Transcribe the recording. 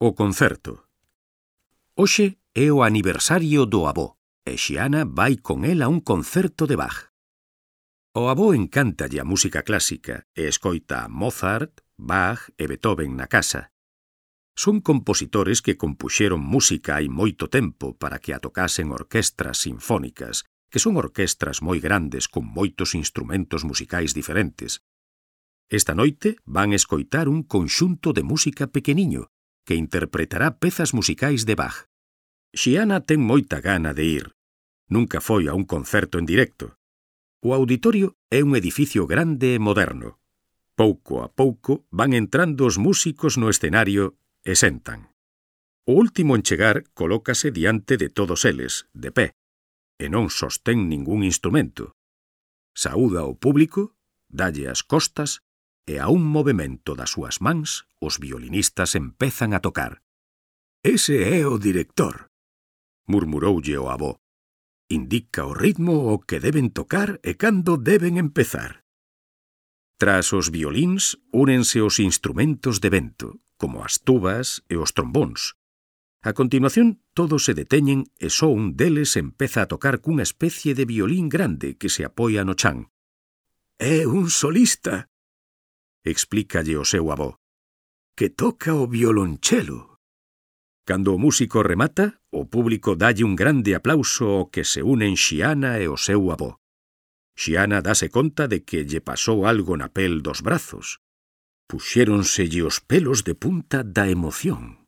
O concerto. Hoxe é o aniversario do avó e Xiana vai con el a un concerto de Bach. O avó encántalle a música clásica e escoita a Mozart, Bach e Beethoven na casa. Son compositores que compuxeron música hai moito tempo para que a tocasen orquestras sinfónicas, que son orquestras moi grandes con moitos instrumentos musicais diferentes. Esta noite van escoitar un conxunto de música pequeniño que interpretará pezas musicais de Bach. Xiana ten moita gana de ir. Nunca foi a un concerto en directo. O auditorio é un edificio grande e moderno. Pouco a pouco van entrando os músicos no escenario e sentan. O último en chegar colócase diante de todos eles, de pé, e non sostén ningún instrumento. Saúda ao público, dalle as costas e a un movemento das súas mans os violinistas empezan a tocar. «Ese é o director», murmuroulle o avó. «Indica o ritmo o que deben tocar e cando deben empezar». Tras os violíns, únense os instrumentos de vento, como as tubas e os trombóns. A continuación, todos se deteñen e só un deles empeza a tocar cunha especie de violín grande que se apoia no chan. «É un solista», explícalle o seu avó, «que toca o violonchelo». Cando o músico remata, o público dalle un grande aplauso ao que se unen Xiana e o seu avó. Xiana dase conta de que lle pasou algo na pel dos brazos. Puxéronselle os pelos de punta da emoción.